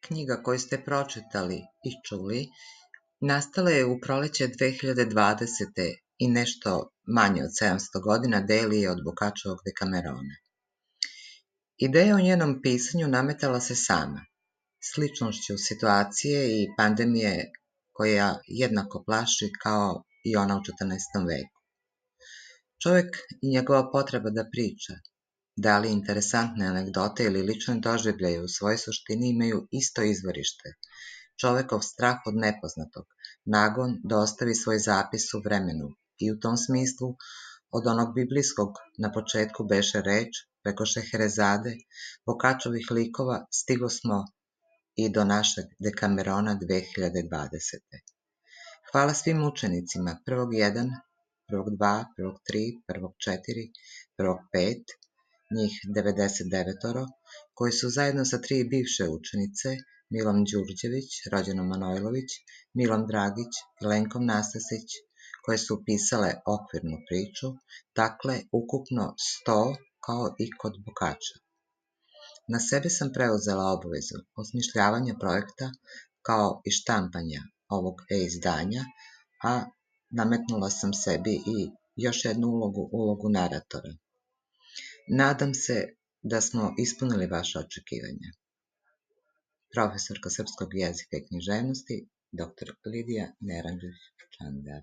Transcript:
knjiga koju ste pročitali i čuli nastala je u proleće 2020. i nešto manje od 700 godina deli je od Boccacciovog Dekamerona. Ideja o njenom pisanju nametala se sama, sličnošću situacije i pandemije koja jednako plaši kao i ona u 14. veku. Čovek i njegova potreba da priča, da li interesantne anegdote ili lične doživljaje u svojoj suštini imaju isto izvorište, čovekov strah od nepoznatog, nagon da ostavi svoj zapis u vremenu i u tom smislu od onog biblijskog na početku beše reč, preko Šeherezade, Boccacciovih likova stigosmo i do našeg Dekamerona 2020. Hvala svim učenicima prvog 1, prvog 2, prvog 3, prvog 4, prvog 5, njih 99, koji su zajedno sa 3 bivše učenice, Milom Đurđević, rođenom Manojlović, Milom Dragić i Lenkom Nastasić, koje su upisale okvirnu priču, dakle ukupno 100 kao i kod Boccaccia. Na sebe sam preuzela obavezu osmišljavanja projekta kao i štampanja ovog e-izdanja, a nametnula sam sebi i još jednu ulogu naratora. Nadam se da smo ispunili vaše očekivanja. Profesorka srpskog jezika i književnosti, dr. Lidija Neranđić-Čander.